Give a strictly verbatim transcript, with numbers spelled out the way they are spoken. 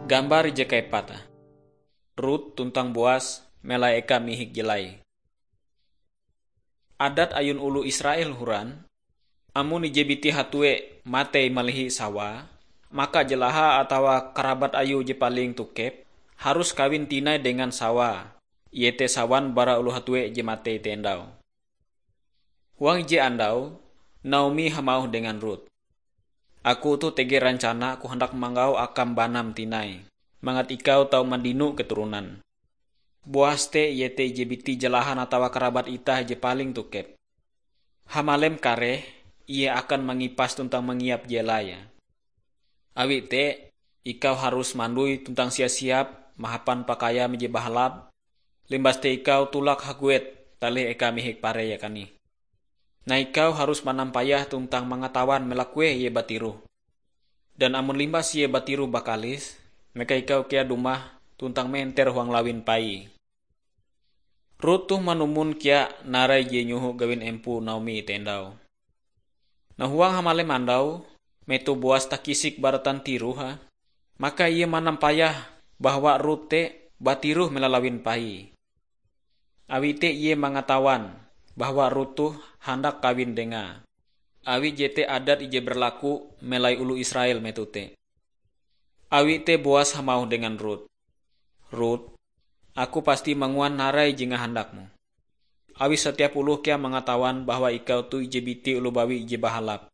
Gambar ije kaepat. Rut tuntang Boas melai eka mihik je lai. Adat ayun oloh Israel horan, amon ije biti hatue matei malihi sawae, maka jelahae atawa karabat ayue je paling tokep harus kawin tinai dengan sawae, iete sawan bara oloh hatue je matei te endau. Huang ije andau, Naomi hamauh dengan Rut, "Aku toh tege rencana aku handak manggau akam banam tinai, mangat ikau tau mandino keturonan. Boas te iete ije biti jelahan atawa karabat itah je paling tokep. Hamalem kareh, ie akan mangipas tuntang mangiap je laie. Awi te, ikau harus mandoi tuntang siap-siap mahapan pakaiam je bahalap, limbas te ikau tulak haguet talih eka mihik paree kanih. Nah, ikau harus manampayah tuntang mangatawan melakueh ie batiroh. Dan amon limbas ie batiroh bakalis, maka ikau kea dumah tuntang menter huang lawin paie." Rut toh manumon kea narai je inyoho gawin empoe Naomi te endau. Nah, huang hamalem andau, metoh Boas takisik bara tantiroh, maka ie manampayah bahwa Rut te batiroh mela lawin paie. Awi te ie mangatawan bahwa Rut toh handak kawin dengae. Awi jete adat ije berlaku melai oloh Israel metoh te. Awi te Boas hamauh dengan Rut, "Rut, aku pasti manguan narai je ngahandakmu. Awi satiap oloh kea mangatawan bahwa ikau toh ije biti oloh bawi je bahalap.